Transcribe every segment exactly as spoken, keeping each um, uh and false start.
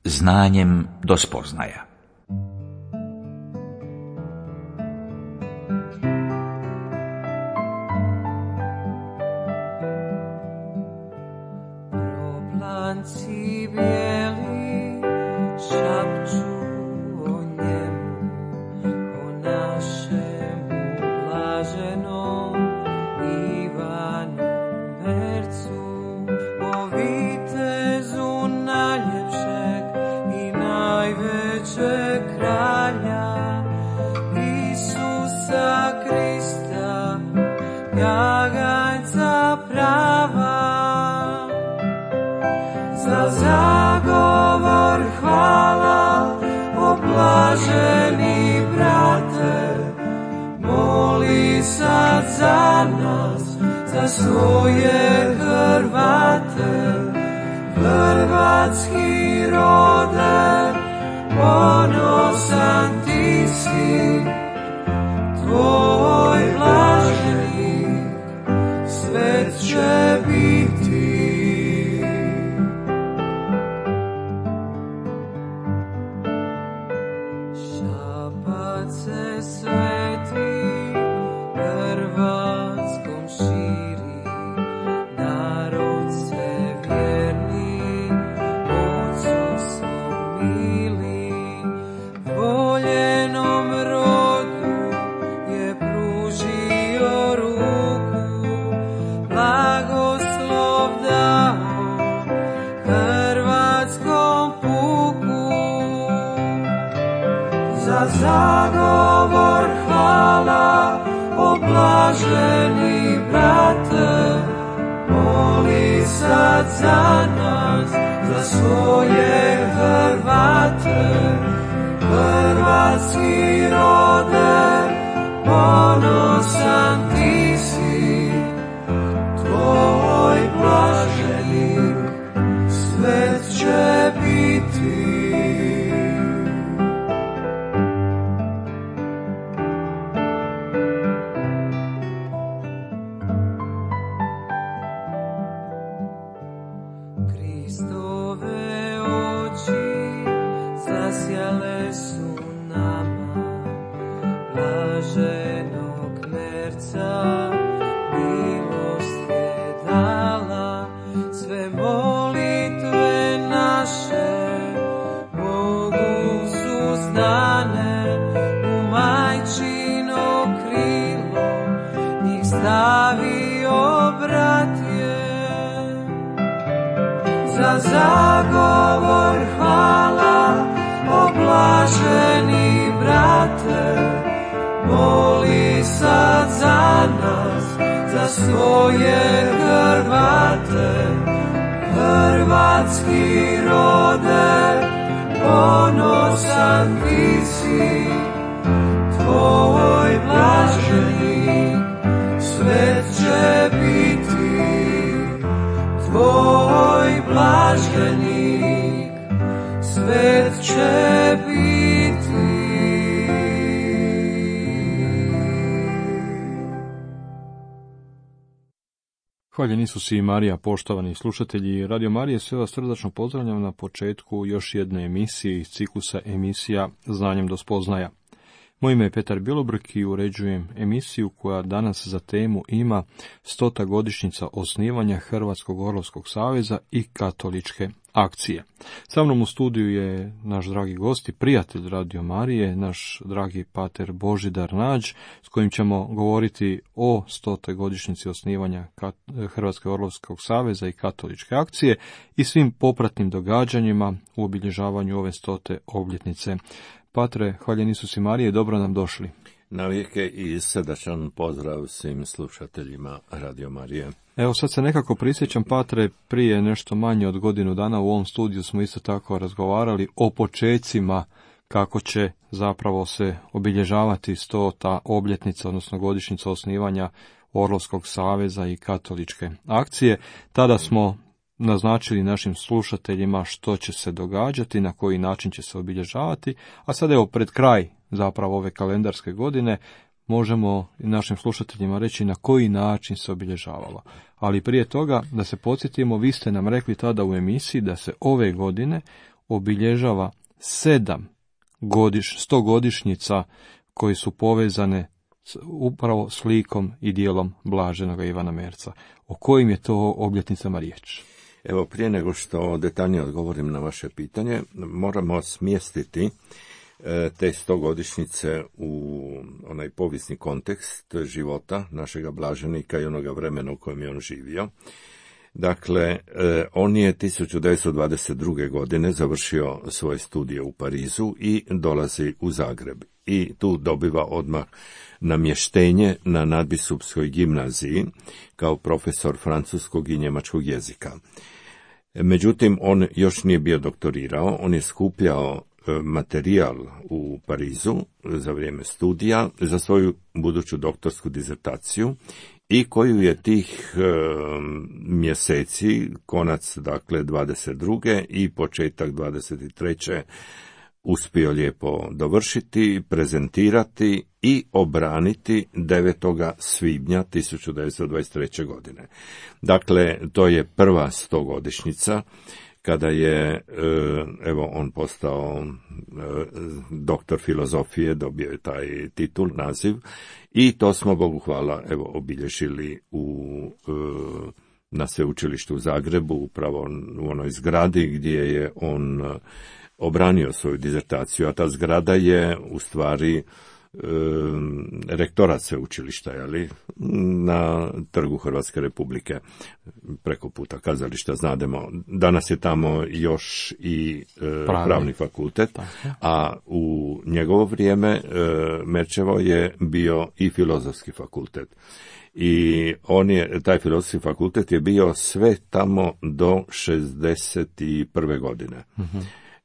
Znanjem do spoznaja. Proplanci bijeli šapću o njemu, o našemu blaženom Ivanu Mercu, o vitezu najljepšeg i najvećeg kralja, Isusa Krista, jaganjca prava. Za zagovor hvala, o blaženi brate, moli sad za nas, za svoje Hrvate. Hrvatski rode, ponosan ti si, tvoj blaženik, svet će biti. Se sveti Hrvatskom širi, narod se vjerni, Otcu svom mili, voljenom rodu je pružio ruku, blagoslov dao hrvatskom puku. Za zagovor hvala, o blaženi brate, moli sad za nas, za svoje Hrvate. Hrvatski rode, ponosan ti si, tvoj blaženik, svet će biti. Zasjale su nama blaženog Merca, milost je dala, sve molitve naše Bogu su znane, u majčino krilo njih stavio brat je. Za zagovor hvala, o blaženi brate, moli sad za nas, za svoje Hrvate. Hrvatski rode, ponosan ti si, tvoj blaženik, svet će biti. Tvoj blaženik, svet će biti. Hvaljen Isus i Marija, poštovani slušatelji Radio Marije, sve vas srdačno pozdravljam na početku još jedne emisije iz ciklusa emisija Znanjem do spoznaja. Moje ime je Petar Bilobrk i uređujem emisiju koja danas za temu ima stota godišnjica osnivanja Hrvatskog orlovskog saveza i katoličke akcije. Sa mnom u studiju je naš dragi gost i prijatelj Radio Marije, naš dragi pater Božidar Nađ, s kojim ćemo govoriti o stotoj godišnjici osnivanja Hrvatskog orlovskog saveza i katoličke akcije i svim popratnim događanjima u obilježavanju ove stote obljetnice. Patre, hvaljen Isus i Marije, dobro nam došli. Navijeke i srdačan pozdrav svim slušateljima Radio Marije. Evo sad se nekako prisjećam, Patre, prije nešto manje od godinu dana u ovom studiju smo isto tako razgovarali o počecima kako će zapravo se obilježavati stota obljetnica, odnosno godišnjica osnivanja Orlovskog saveza i katoličke akcije. Tada smo naznačili našim slušateljima što će se događati, na koji način će se obilježavati, a sad evo pred kraj zapravo ove kalendarske godine možemo našim slušateljima reći na koji način se obilježavalo. Ali prije toga, da se podsjetimo, vi ste nam rekli tada u emisiji da se ove godine obilježava sedam godiš, stogodišnjica koji su povezane s, upravo s likom i dijelom blaženog Ivana Merca. O kojim je to obljetnicama riječ? Evo, prije nego što detaljnije odgovorim na vaše pitanje, moramo smjestiti te stogodišnjice u onaj povijesni kontekst života našega blaženika i onoga vremena u kojem je on živio. Dakle, on je tisuću devetsto dvadeset druge. godine završio svoje studije u Parizu i dolazi u Zagreb. I tu dobiva odmah namještenje na nadbiskupskoj gimnaziji kao profesor francuskog i njemačkog jezika. Međutim, on još nije bio doktorirao, on je skupljao materijal u Parizu za vrijeme studija za svoju buduću doktorsku dizertaciju i koju je tih e, mjeseci, konac dakle dvadeset druge i početak dvadeset treće uspio lijepo dovršiti, prezentirati i obraniti devetog svibnja tisuću devetsto dvadeset treće. godine. Dakle, to je prva stogodišnjica kada je, evo, on postao doktor filozofije, dobio je taj titul, naziv, i to smo, Bogu hvala, evo, obilježili u, na sveučilištu u Zagrebu, upravo u onoj zgradi gdje je on obranio svoju dizertaciju, a ta zgrada je u stvari rektorat sveučilišta, jeli, na Trgu Hrvatske Republike, preko puta kazališta, znademo. Danas je tamo još i e, pravni. pravni fakultet, a u njegovo vrijeme e, Merčevo je bio i filozofski fakultet. I on je, taj filozofski fakultet je bio sve tamo do šezdeset prve. godine. Uh-huh.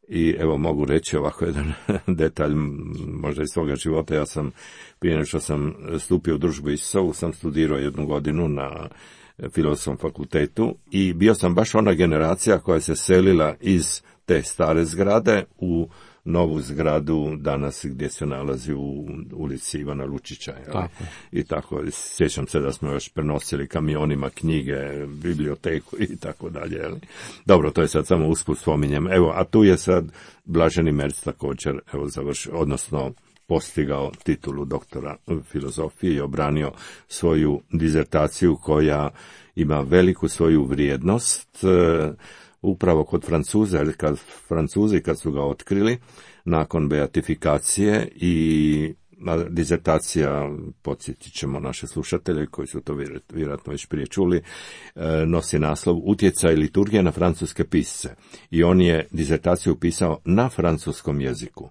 I evo, mogu reći ovako jedan detalj, možda iz svoga života. Ja sam, prije nego što sam stupio u družbu Isusovu, sam studirao jednu godinu na filozofskom fakultetu i bio sam baš ona generacija koja se selila iz te stare zgrade u novu zgradu danas gdje se nalazi u ulici Ivana Lučića. Tako. I tako, sjećam se da smo još prenosili kamionima knjige, biblioteku i tako dalje. Dobro, to je sad samo usput spominjem. Evo, a tu je sad Blaženi Merc također, evo, završio, odnosno postigao titulu doktora filozofije i obranio svoju dizertaciju koja ima veliku svoju vrijednost, upravo kod Francuza, jer kad Francuzi kad su ga otkrili nakon beatifikacije i dizertacija, podsjetit ćemo naše slušatelje koji su to vjerojatno već prije čuli, nosi naslov Utjecaj liturgije na francuske pisce. I on je dizertaciju pisao na francuskom jeziku.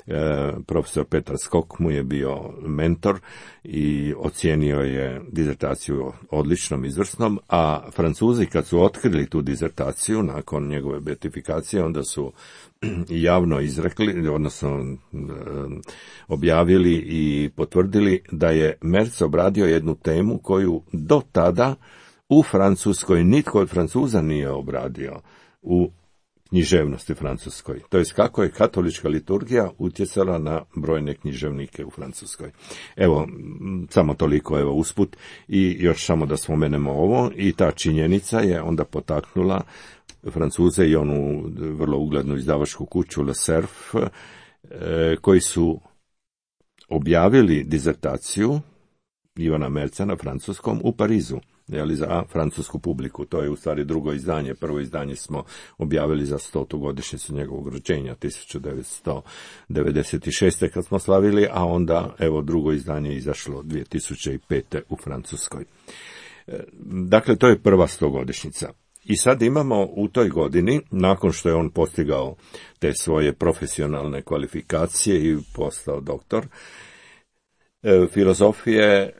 E, profesor Petar Skok mu je bio mentor i ocijenio je dizertaciju odličnom, izvrsnom, a Francuzi kad su otkrili tu dizertaciju nakon njegove beatifikacije, onda su javno izrekli, odnosno e, objavili i potvrdili da je Merc obradio jednu temu koju do tada u Francuskoj nitko od Francuza nije obradio u književnosti francuskoj. To jest kako je katolička liturgija utjecala na brojne književnike u Francuskoj. Evo, samo toliko, evo, usput, i još samo da spomenemo ovo, i ta činjenica je onda potaknula Francuze i onu vrlo uglednu izdavačku kuću Le Cerf, e, koji su objavili dizertaciju Ivana Merca na francuskom u Parizu, jeli, za francusku publiku. To je u stvari drugo izdanje. Prvo izdanje smo objavili za stotu godišnjicu njegovog rođenja, tisuću devetsto devedeset šeste. kad smo slavili, a onda, evo, drugo izdanje je izašlo dvije tisuće pete. u Francuskoj. Dakle, to je prva stogodišnjica. I sad imamo u toj godini, nakon što je on postigao te svoje profesionalne kvalifikacije i postao doktor filozofije,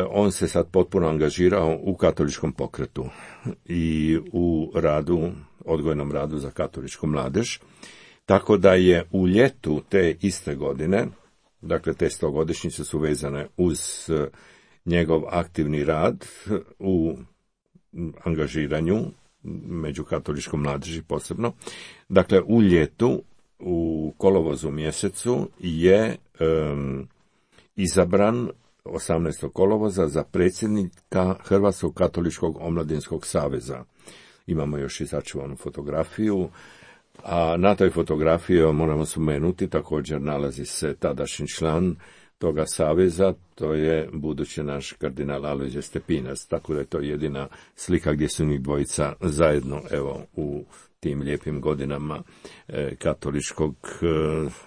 on se sad potpuno angažirao u katoličkom pokretu i u radu, odgojnom radu za katoličku mladež, tako da je u ljetu te iste godine, dakle te stogodišnjice su vezane uz njegov aktivni rad u angažiranju među katoličkom mladeži posebno, dakle u ljetu, u kolovozu mjesecu je um, izabran osamnaestog kolovoza za predsjednika Hrvatskog katoličkog omladinskog saveza. Imamo još i sačuvanu fotografiju A na toj fotografiji, moramo spomenuti, također nalazi se tadašnji član toga saveza, to je budući naš kardinal Alojzije Stepinac, tako da je to jedina slika gdje su njih dvojica zajedno, evo, u tim lijepim godinama e, katoličkog e,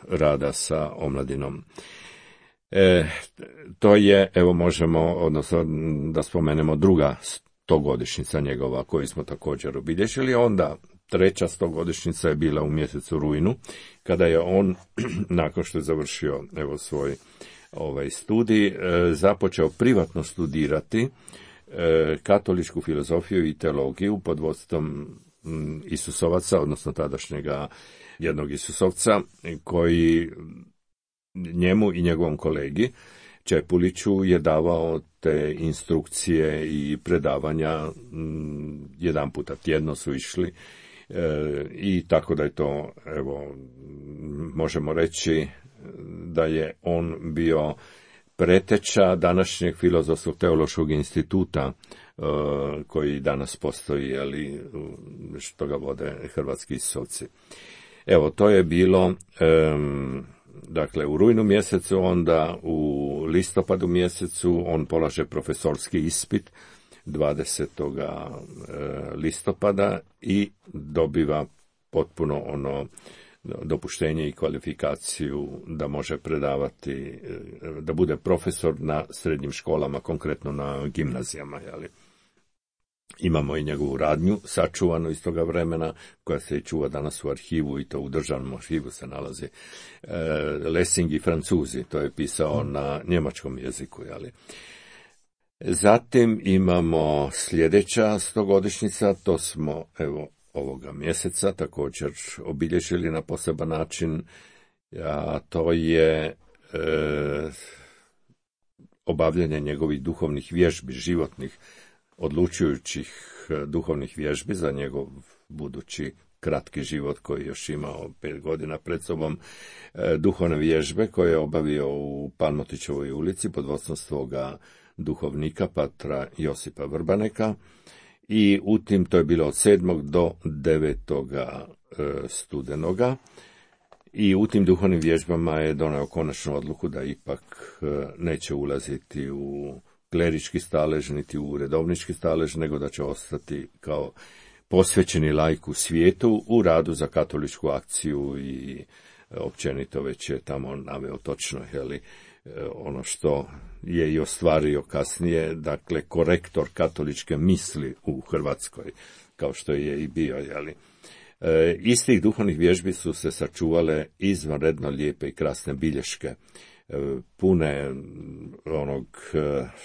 rada sa omladinom. E, to je, evo možemo, odnosno da spomenemo druga stogodišnjica njegova koju smo također obilježili, onda treća stogodišnjica je bila u mjesecu rujnu, kada je on, nakon što je završio evo svoj ovaj studij, e, započeo privatno studirati e, katoličku filozofiju i teologiju pod vodstvom m, Isusovaca, odnosno tadašnjega jednog Isusovca, koji njemu i njegovom kolegi Čepuliću je davao te instrukcije i predavanja, m, jedan puta tjedno su išli, e, i tako da je to, evo, možemo reći da je on bio preteča današnjeg filozofskog teološkog instituta uh, koji danas postoji, ali što ga vode hrvatski Isusovci. Evo, to je bilo um, dakle u rujnu mjesecu, onda u listopadu mjesecu on polaže profesorski ispit dvadesetog listopada i dobiva potpuno ono dopuštenje i kvalifikaciju da može predavati, da bude profesor na srednjim školama, konkretno na gimnazijama. Jeli. Imamo i njegovu radnju sačuvanu iz toga vremena, koja se i čuva danas u arhivu, i to u državnom arhivu se nalazi. E, Lessing i Francuzi, to je pisao na njemačkom jeziku. Jeli. Zatim imamo sljedeća stogodišnjica, to smo, evo, ovoga mjeseca također obilježili na poseban način, a to je e, obavljanje njegovih duhovnih vježbi, životnih, odlučujućih duhovnih vježbi za njegov budući kratki život koji još imao pet godina pred sobom, e, duhovne vježbe koje je obavio u Palmotićevoj ulici pod vodstvom svoga duhovnika, patra Josipa Vrbaneka. I u tim, to je bilo od sedmog do devetoga studenoga, i u tim duhovnim vježbama je doneo konačnu odluku da ipak neće ulaziti u klerički stalež, niti u redovnički stalež, nego da će ostati kao posvećeni laik u svijetu u radu za katoličku akciju, i općenito već je tamo naveo točno, jeli, ono što je i ostvario kasnije, dakle korektor katoličke misli u Hrvatskoj, kao što je i bio. Jeli. E, iz tih duhovnih vježbi su se sačuvale izvanredno lijepe i krasne bilješke, e, pune onog,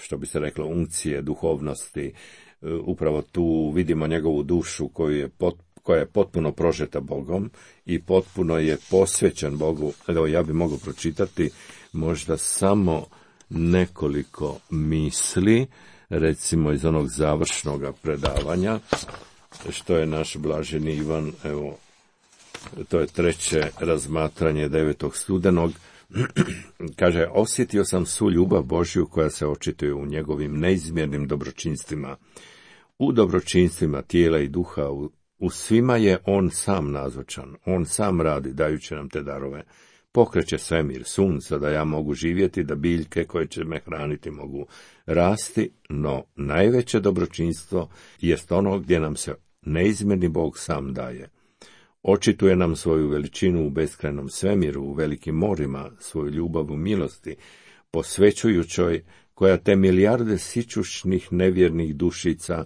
što bi se reklo, unkcije, duhovnosti. E, upravo tu vidimo njegovu dušu koju je pot, koja je potpuno prožeta Bogom i potpuno je posvećen Bogu. Evo, ja bi mogao pročitati možda samo nekoliko misli, recimo iz onog završnog predavanja, što je naš blaženi Ivan, evo, to je treće razmatranje devetog studenog, kaže, osjetio sam svu ljubav Božju koja se očituje u njegovim neizmjernim dobročinstvima, u dobročinstvima tijela i duha, u, u svima je on sam nazočan, on sam radi, dajući nam te darove. Pokreće svemir, sunca, da ja mogu živjeti, da biljke koje će me hraniti mogu rasti, no najveće dobročinstvo jest ono gdje nam se neizmjerni Bog sam daje. Očituje nam svoju veličinu u beskrajnom svemiru, u velikim morima, svoju ljubav u milosti, posvećujućoj, koja te milijarde sićušnih nevjernih dušica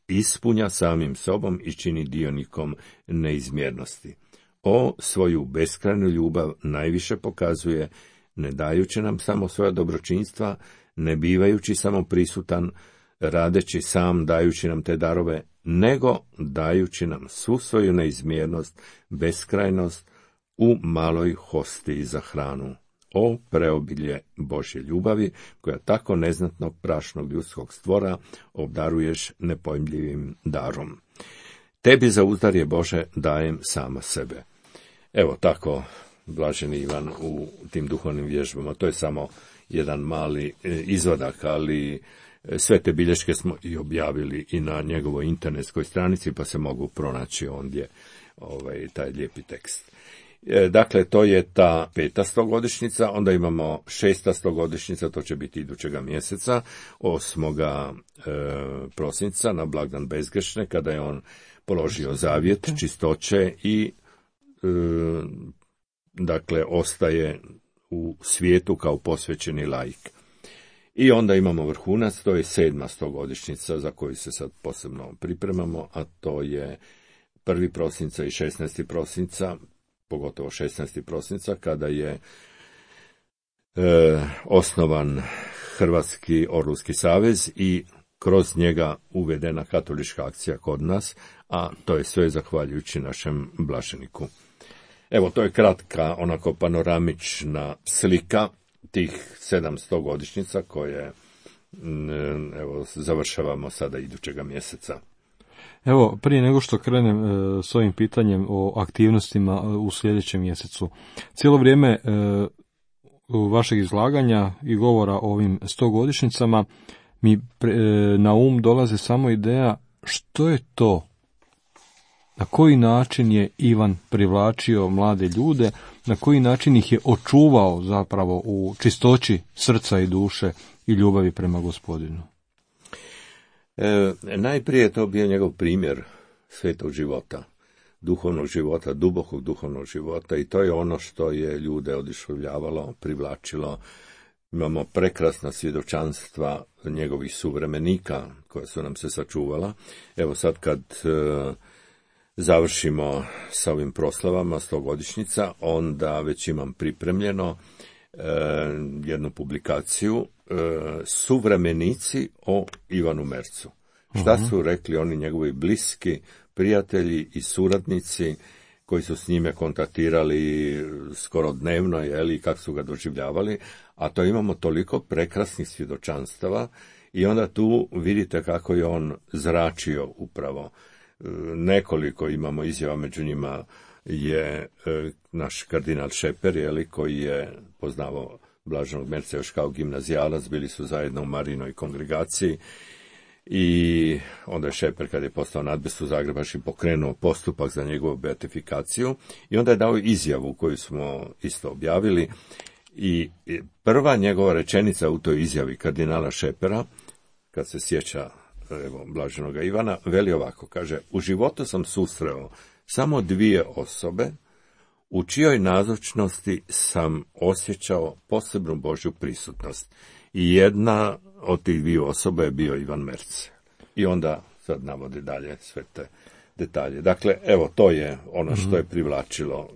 ispunja samim sobom i čini dionikom neizmjernosti. O, svoju beskrajnu ljubav najviše pokazuje, ne dajući nam samo svoja dobročinstva, ne bivajući samo prisutan, radeći sam, dajući nam te darove, nego dajući nam svu svoju neizmjernost, beskrajnost u maloj hostiji za hranu. O, preobilje Božje ljubavi, koja tako neznatnog prašnog ljudskog stvora obdaruješ nepojmljivim darom. Tebi za uzdarje Bože dajem sama sebe. Evo tako, blaženi Ivan u tim duhovnim vježbama. To je samo jedan mali izvadak, ali sve te bilješke smo i objavili i na njegovoj internetskoj stranici, pa se mogu pronaći ondje ovaj, taj lijepi tekst. E, dakle, to je ta peta stogodišnjica, onda imamo šesta stogodišnjica, to će biti idućega mjeseca, osmoga E, prosinca, na blagdan Bezgrešne, kada je on položio zavjet čistoće i e, dakle, ostaje u svijetu kao posvećeni laik. I onda imamo vrhunac, to je sedma stogodišnjica za koju se sad posebno pripremamo, a to je prvi prosinca i šesnaesti prosinca, pogotovo šesnaesti prosinca, kada je e, osnovan Hrvatski orlovski savez i kroz njega uvedena katolička akcija kod nas, a to je sve zahvaljujući našem blaženiku. Evo, to je kratka, onako panoramična slika tih sedamsto godišnjica koje evo, završavamo sada idućega mjeseca. Evo, prije nego što krenem e, s ovim pitanjem o aktivnostima e, u sljedećem mjesecu, cijelo vrijeme e, vašeg izlaganja i govora o ovim stogodišnjicama mi pre, e, na um dolaze samo ideja što je to, na koji način je Ivan privlačio mlade ljude, na koji način ih je očuvao zapravo u čistoći srca i duše i ljubavi prema Gospodinu. E, najprije je to bio njegov primjer svetog života, duhovnog života, dubokog duhovnog života, i to je ono što je ljude oduševljavalo, privlačilo. Imamo prekrasna svjedočanstva njegovih suvremenika koja su nam se sačuvala. Evo sad kad e, završimo sa ovim proslavama stogodišnjica, onda već imam pripremljeno e, jednu publikaciju e, Suvremenici o Ivanu Mercu. Šta su rekli oni njegovi bliski prijatelji i suradnici koji su s njime kontaktirali skoro dnevno, jeli, i kako su ga doživljavali, a to imamo toliko prekrasnih svjedočanstava i onda tu vidite kako je on zračio upravo. Nekoliko imamo izjava, među njima je naš kardinal Šeper, jeli, koji je poznavao blaženog Merca još kao gimnazijalac, bili su zajedno u Marinoj kongregaciji. I onda je Šeper, kad je postao nadbiskup zagrebački, pokrenuo postupak za njegovu beatifikaciju i onda je dao izjavu koju smo isto objavili. I prva njegova rečenica u toj izjavi kardinala Šepera, kad se sjeća evo, blaženoga Ivana, veli ovako, kaže: u životu sam susreo samo dvije osobe u čijoj nazočnosti sam osjećao posebnu Božju prisutnost. I jedna od tih dvije osobe je bio Ivan Merc. I onda sad navodi dalje sve te detalje. Dakle, evo, to je ono što je privlačilo.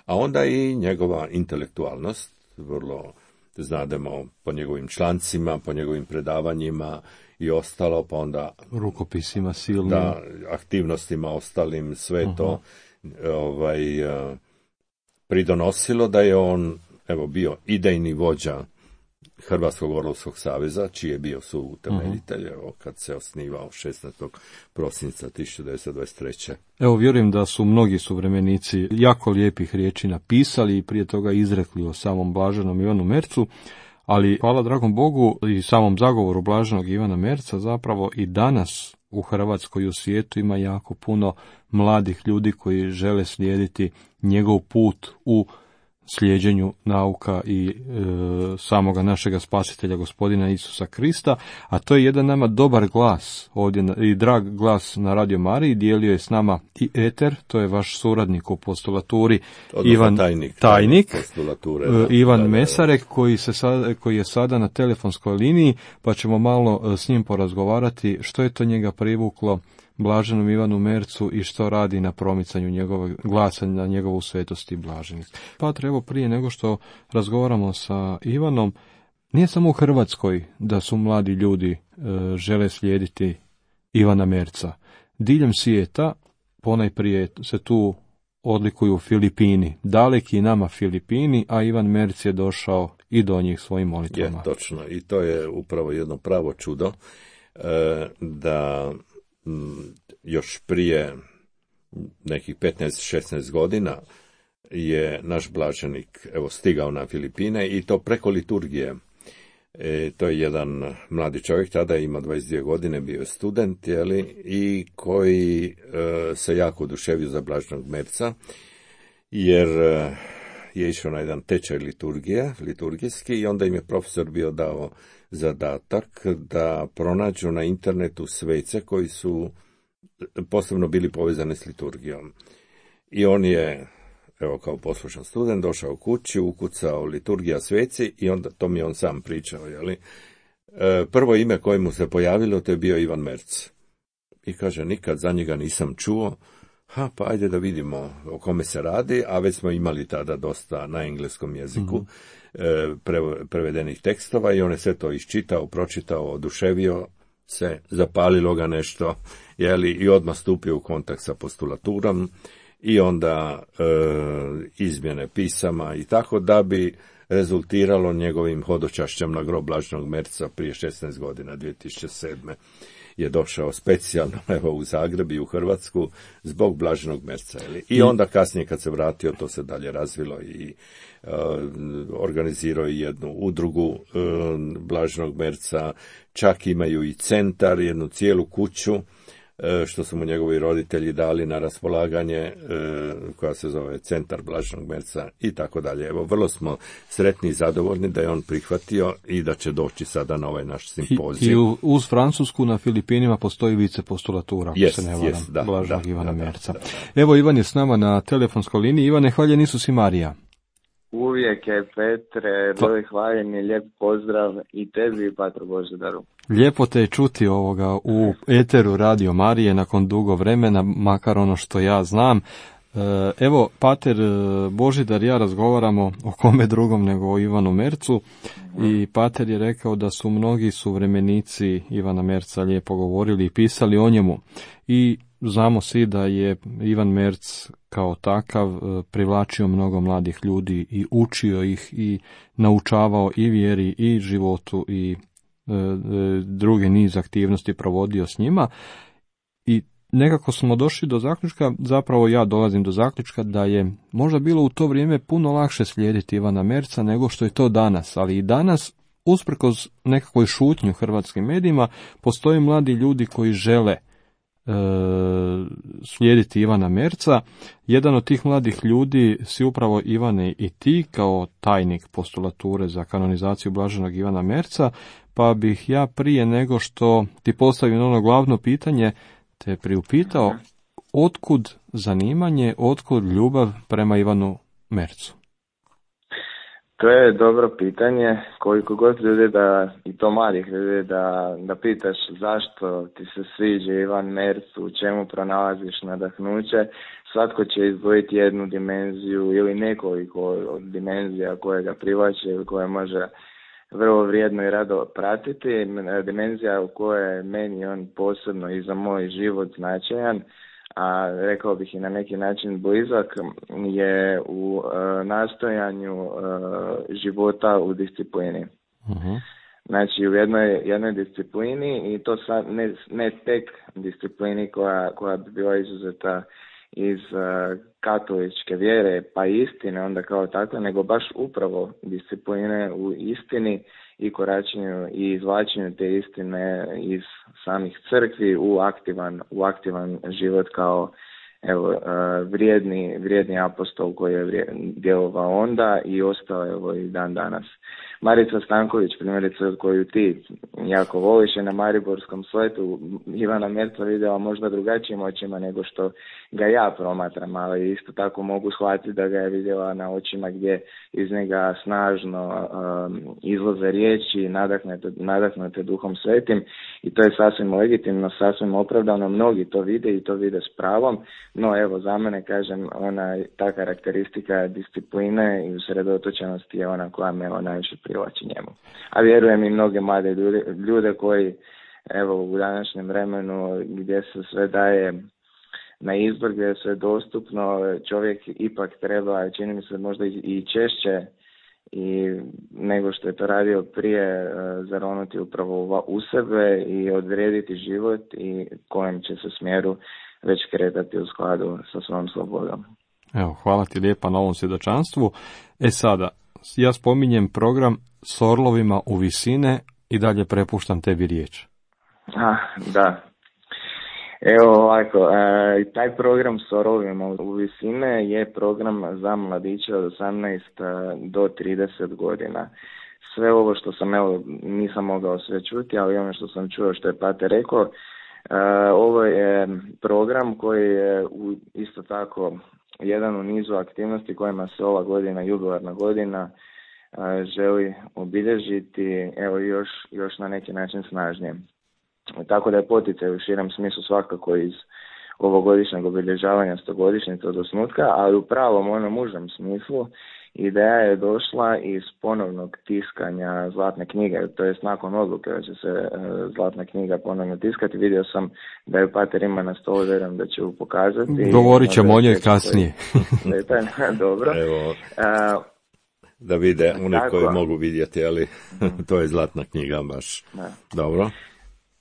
A onda i njegova intelektualnost, vrlo znademo po njegovim člancima, po njegovim predavanjima i ostalo, pa onda rukopisima silnim, da, aktivnostima ostalim, sve uh-huh. to ovaj, pridonosilo da je on evo bio idejni vođa Hrvatskog orlovskog saveza, čiji je bio suutemeljitelj, uh-huh. evo, kad se osnivao šesnaestog prosinca tisuću devetsto dvadeset treće. Evo, vjerujem da su mnogi suvremenici jako lijepih riječi napisali i prije toga izrekli o samom blaženom Ivanu Mercu, ali hvala dragom Bogu i samom zagovoru blaženog Ivana Merca zapravo i danas u Hrvatskoj i u svijetu ima jako puno mladih ljudi koji žele slijediti njegov put u slijeđenju nauka i e, samoga našega spasitelja gospodina Isusa Krista, a to je jedan nama dobar glas ovdje i drag glas na Radio Mariji, dijelio je s nama i eter, to je vaš suradnik u postulaturi, odnosno Ivan tajnik, tajnik da, Ivan da, da, Mesarek, koji, se sad, koji je sada na telefonskoj liniji, pa ćemo malo s njim porazgovarati što je to njega privuklo blaženom Ivanu Mercu i što radi na promicanju njegovog glasa, na njegovu svetost i blaženost. Pa treba prije nego što razgovaramo sa Ivanom, nije samo u Hrvatskoj da su mladi ljudi e, žele slijediti Ivana Merca. Diljem svijeta ponajprije se tu odlikuju Filipini, daleki nama Filipini, a Ivan Merc je došao i do njih svojim molitvama. Je, točno, i to je upravo jedno pravo čudo, e, da još prije nekih petnaest šesnaest godina je naš blaženik evo stigao na Filipine i to preko liturgije. E, to je jedan mladi čovjek, tada ima dvadeset dvije godine, bio je student, jeli, i koji e, se jako oduševio za Blaženog Merca, jer e, je išao na jedan tečaj liturgije, liturgijski, i onda im je profesor bio dao zadatak da pronađu na internetu svece koji su posebno bili povezani s liturgijom. I on je, evo kao poslušan student, došao kući, ukucao liturgija sveci i onda, to mi je on sam pričao, jeli, e, prvo ime koje mu se pojavilo, to je bio Ivan Merc. I kaže, nikad za njega nisam čuo, ha, pa ajde da vidimo o kome se radi, a već smo imali tada dosta na engleskom jeziku mm-hmm. e, prevedenih tekstova i on je sve to iščitao, pročitao, oduševio se, zapalilo ga nešto, jeli, i odmah stupio u kontakt sa postulaturom i onda e, izmjene pisama i tako, da bi rezultiralo njegovim hodočašćem na grob Blaženog Merca prije šesnaest godina, dvije tisuće sedme je došao specijalno, evo, u Zagreb i u Hrvatsku zbog Blaženog Merca. Ili? I onda kasnije kad se vratio, to se dalje razvilo i uh, organizirao jednu udrugu uh, Blaženog Merca, čak imaju i centar, jednu cijelu kuću, što su mu njegovi roditelji dali na raspolaganje, koja se zove Centar Blaženog Merca i tako dalje. Evo, vrlo smo sretni i zadovoljni da je on prihvatio i da će doći sada na ovaj naš simpozij. I, i uz Francusku na Filipinima postoji vice postulatura, ako yes, se ne varam, yes, da, Blaženog da, Ivana da, Merca. da, da. Evo, Ivan je s nama na telefonskoj liniji. Ivane, hvaljen Isus i Marija. Uvijek je, Petre, bili hvaljeni, lijep pozdrav i tebi i Patru Božidaru. Lijepo te je čuti ovoga u eteru Radio Marije nakon dugo vremena, makar ono što ja znam. Evo, Pater Božidar i ja razgovaramo o kome drugom nego o Ivanu Mercu i Pater je rekao da su mnogi suvremenici Ivana Merca lijepo govorili i pisali o njemu. I znamo svi da je Ivan Merc kao takav privlačio mnogo mladih ljudi i učio ih i naučavao i vjeri i životu i e, druge niz aktivnosti provodio s njima. I nekako smo došli do zaključka, zapravo ja dolazim do zaključka da je možda bilo u to vrijeme puno lakše slijediti Ivana Merca nego što je to danas, ali i danas, usprkos nekakvoj šutnji u hrvatskim medijima, postoje mladi ljudi koji žele e, slijediti Ivana Merca. Jedan od tih mladih ljudi si upravo, Ivane, i ti kao tajnik postulature za kanonizaciju Blaženog Ivana Merca, pa bih ja prije nego što ti postavim ono glavno pitanje te priupitao, otkud zanimanje, otkud ljubav prema Ivanu Mercu? To je dobro pitanje, koliko god ljudi da, i to malih ljudi, da, da pitaš zašto ti se sviđa Ivan Merc, u čemu pronalaziš nadahnuće, svatko će izdvojiti jednu dimenziju ili nekoliko od dimenzija koje ga privlače ili koje može vrlo vrijedno i rado pratiti. Dimenzija u kojoj je meni on posebno i za moj život značajan, a rekao bih i na neki način blizak, je u e, nastojanju e, života u disciplini. Uh-huh. Znači u jednoj, jednoj disciplini, i to sad ne, ne tek disciplini koja, koja bi bila izuzeta iz uh, katoličke vjere pa istine onda kao takve, nego baš upravo discipline u istini i koračenju i izvlačenju te istine iz samih crkvi u aktivan, u aktivan život kao evo, uh, vrijedni, vrijedni apostol koji je djelovao onda i ostao evo i dan danas. Marica Stanković, primjerice, koju ti jako voliš, je na Mariborskom svetu Ivana Merca vidjela možda drugačijim očima nego što ga ja promatram, ali isto tako mogu shvatiti da ga je vidjela na očima gdje iz njega snažno um, izlaze riječi, nadahnete, nadahnete Duhom Svetim, i to je sasvim legitimno, sasvim opravdano, mnogi to vide i to vide s pravom, no evo za mene, kažem, ona, ta karakteristika discipline i usredotočenosti je ona koja me najviše privlači njemu. A vjerujem i mnoge mlade ljude, ljude koji evo u današnjem vremenu gdje se sve daje na izbor, gdje je sve dostupno, čovjek ipak treba, čini mi se možda i češće i nego što je to radio prije, zaronuti upravo u sebe i odrediti život i kojem će se smjeru već kretati u skladu sa svom slobodom. Evo, hvala ti lijepa na ovom svjedočanstvu. E sada, ja spominjem program s orlovima u visine i dalje prepuštam tebi riječ. A, da. Evo ovako, e, taj program s orlovima u visine je program za mladiće od osamnaest do trideset godina. Sve ovo što sam, evo, nisam mogao sve čuti, ali ono što sam čuo što je Pater rekao, e, ovo je program koji je u, isto tako jedan u nizu aktivnosti kojima se ova godina, jubilarna godina, e, želi obilježiti, evo još, još na neki način snažnije. Tako da je poticaj u širem smislu svakako iz ovogodišnjeg obilježavanja stogodišnjice od osnutka, ali u pravom onom užem smislu ideja je došla iz ponovnog tiskanja Zlatne knjige, to jest nakon odluke da će se e, Zlatna knjiga ponovno tiskati. Vidio sam da je Pater ima na stolu, vjerujem da će ju pokazati. Govorit ćemo o njoj kasnije. Dobro. Evo, A, da vide oni tako. koji mogu vidjeti, ali to je Zlatna knjiga baš. Da. Dobro.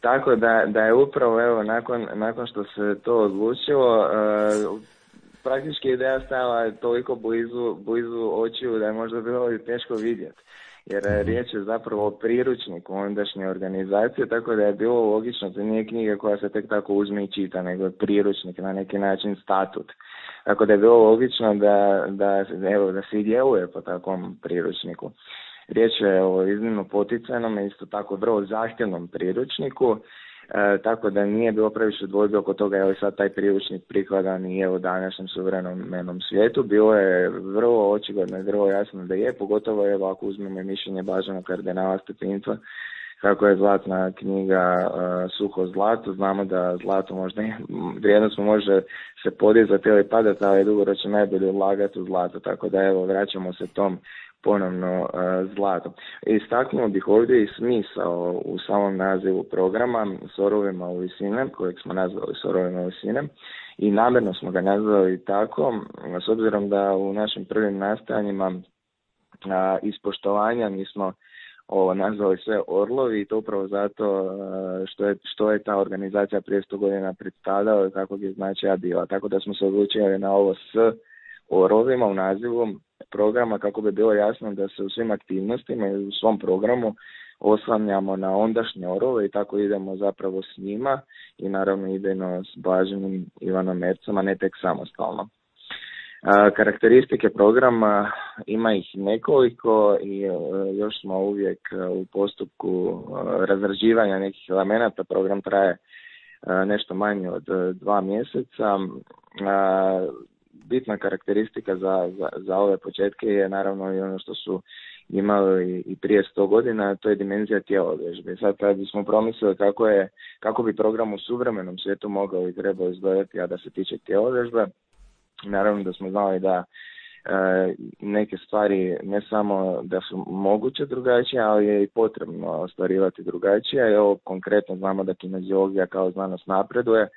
Tako da, da je upravo evo nakon, nakon što se to odlučilo, e, praktički ideja stala toliko blizu, blizu očiju da je možda bilo i teško vidjeti. Jer mm-hmm. riječ je zapravo o priručniku ondašnje organizacije, tako da je bilo logično, to nije knjiga koja se tek tako uzme i čita, nego je priručnik, na neki način statut. Tako da je bilo logično da, da, evo, da se i djeluje po takvom priručniku. Riječ je o iznimno poticajnom i isto tako vrlo zahtjevnom priručniku, e, tako da nije bilo previše dvojbe oko toga je li sad taj priručnik prikladan i u današnjem suvremenom svijetu. Bilo je vrlo očigledno i vrlo jasno da je, pogotovo evo ako uzmemo mišljenje Blaženog kardinala Stepinstva, kako je Zlatna knjiga uh, suho zlato. Znamo da zlato možda vrijednost može se podizati ili padati, ali je dugoročno najbolje ulagati u zlato, tako da evo vraćamo se tom ponovno uh, zlato. Istaknuo bih ovdje i smisao u samom nazivu programa s orovima u visine, kojeg smo nazvali s orovima u visine, i namjerno smo ga nazvali tako, s obzirom da u našim prvim nastojanjima uh, iz poštovanja mi smo ovo nazvali sve orlovi, i to upravo zato uh, što je, što je ta organizacija prije sto godina predstavljala i kakvog je značaja bila. Tako da smo se odlučili na ovo s orlovima u nazivu programa, kako bi bilo jasno da se u svim aktivnostima i u svom programu oslanjamo na ondašnje orove i tako idemo zapravo s njima i naravno idejno s Blaženim Ivanom Mercom, a ne tek samostalno. A, karakteristike programa ima ih nekoliko i a, još smo uvijek a, u postupku a, razrađivanja nekih elemenata. Program traje a, nešto manje od a, dva mjeseca. A, bitna karakteristika za, za, za ove početke je naravno i ono što su imali i prije sto godina, to je dimenzija tjelovježbe. Sad kad bismo promislili kako, je, kako bi program u suvremenom svijetu mogao i trebao izgledati, a da se tiče tjelovježbe, naravno da smo znali da e, neke stvari ne samo da su moguće drugačije, ali je i potrebno ostvarivati drugačije. Evo konkretno znamo da kineziologija kao znanost napreduje.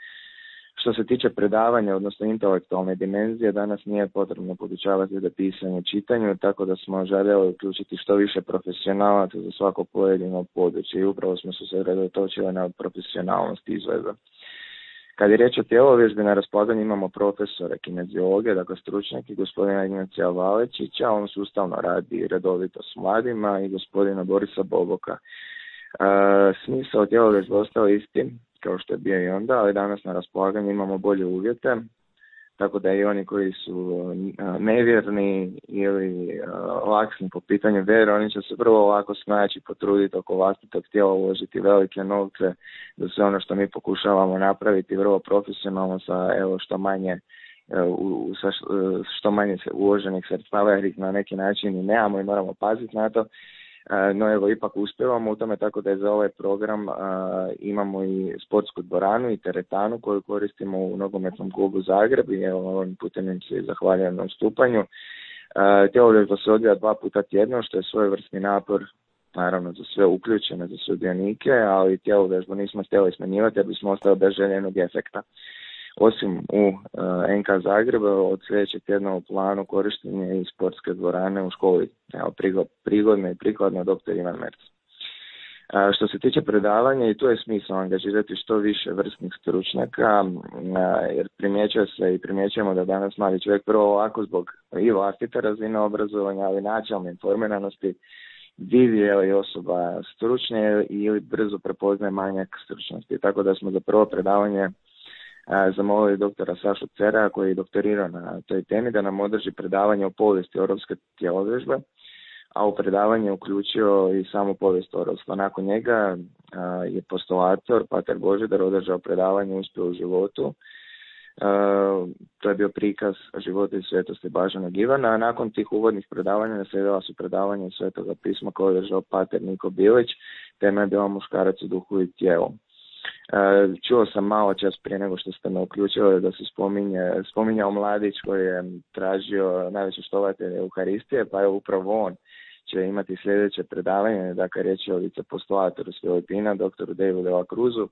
Što se tiče predavanja, odnosno intelektualne dimenzije, danas nije potrebno podučavati za pisanje i čitanju, tako da smo željeli uključiti što više profesionalaca za svako pojedino područje i upravo smo se usredotočili na profesionalnost izvedbe. Kad je riječ o tjelovježbi, na raspolaganju imamo profesora kineziologije, dakle stručnjaki, gospodina Ignacija Valečića, on sustavno radi redovito s mladima, i gospodina Borisa Boboka. E, smisao tjelovježbe ostao isti, kao što je bio i onda, ali danas na raspolaganju imamo bolje uvjete, tako da i oni koji su nevjerni ili laksni po pitanju vjere, oni će se vrlo lako snaći, potruditi oko vlastitog tijela, uložiti velike novce za sve ono što mi pokušavamo napraviti vrlo profesionalno sa evo što manje u, sa što manje uloženih sredstava, jer ih na neki način i nemamo i moramo paziti na to. No evo, ipak uspjevamo u tome, tako da je za ovaj program a, imamo i sportsku dvoranu i teretanu koju koristimo u nogometnom klubu Zagreb i evo ovim putem im se zahvaljujem na ustupanju. Tjelovježba se odvija dva puta tjedno, što je svojevrsni napor naravno za sve uključene, za sudionike, ali tjelovježbu nismo htjeli smanjivati jer bismo ostali bez željenog efekta. Osim u uh, N K Zagreba, od sljedećeg tjedna u planu korištenje i sportske dvorane u školi, evo, prigodno i prikladno doktor Ivan Merc. Uh, što se tiče predavanja, i tu je smisao angažirati što više vrstnih stručnjaka, uh, jer primjećuje se i primjećujemo da danas mladi čovjek prvo ovako zbog i vlastite razine obrazovanja, ali načelne informiranosti vidi je li osoba stručna ili brzo prepoznaje manjak stručnosti. Tako da smo za prvo predavanje a, zamolili doktora Sašu Cera, koji je doktorirao na toj temi, da nam održi predavanje o povijesti orovske tjelovježbe, a u predavanje uključio i samu povijest orovstva. Nakon njega a, je postulator Pater Božidar održao predavanje Uspjeh u životu. Uh, to je bio prikaz života i svetosti Blaženog Ivana, a nakon tih uvodnih predavanja naslijedila su predavanje Svetoga pisma koje je držao pater Niko Bilić, tema je bila Muškarac u duhu i tijelu. Uh, čuo sam malo čas prije nego što ste me uključili da se spominje, spominjao mladić koji je tražio najveće štovatelje Euharistije, pa je upravo on će imati sljedeće predavanje, dakle riječ je o vicepostulatoru s Filipina, doktoru Davidu de la Cruzu,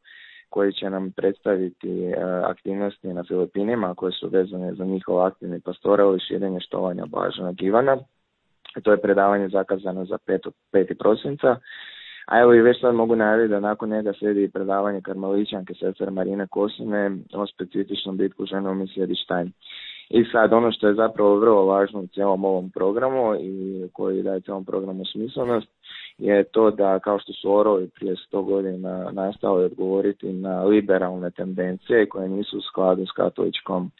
koji će nam predstaviti uh, aktivnosti na Filipinima koje su vezane za njihov aktivni pastoral i širenje štovanja Blaženog Ivana. To je predavanje zakazano za peti prosinca. A evo i već sad mogu najaviti da nakon njega slijedi predavanje karmeličanke sestre Marine Kosine o specifičnom bitku žene u misiji Štajn. I sad ono što je zapravo vrlo važno u cijelom ovom programu i koji daje cijelom programu smislenost je to da kao što su orovi prije sto godina nastali odgovoriti na liberalne tendencije koje nisu u skladu s katoličkom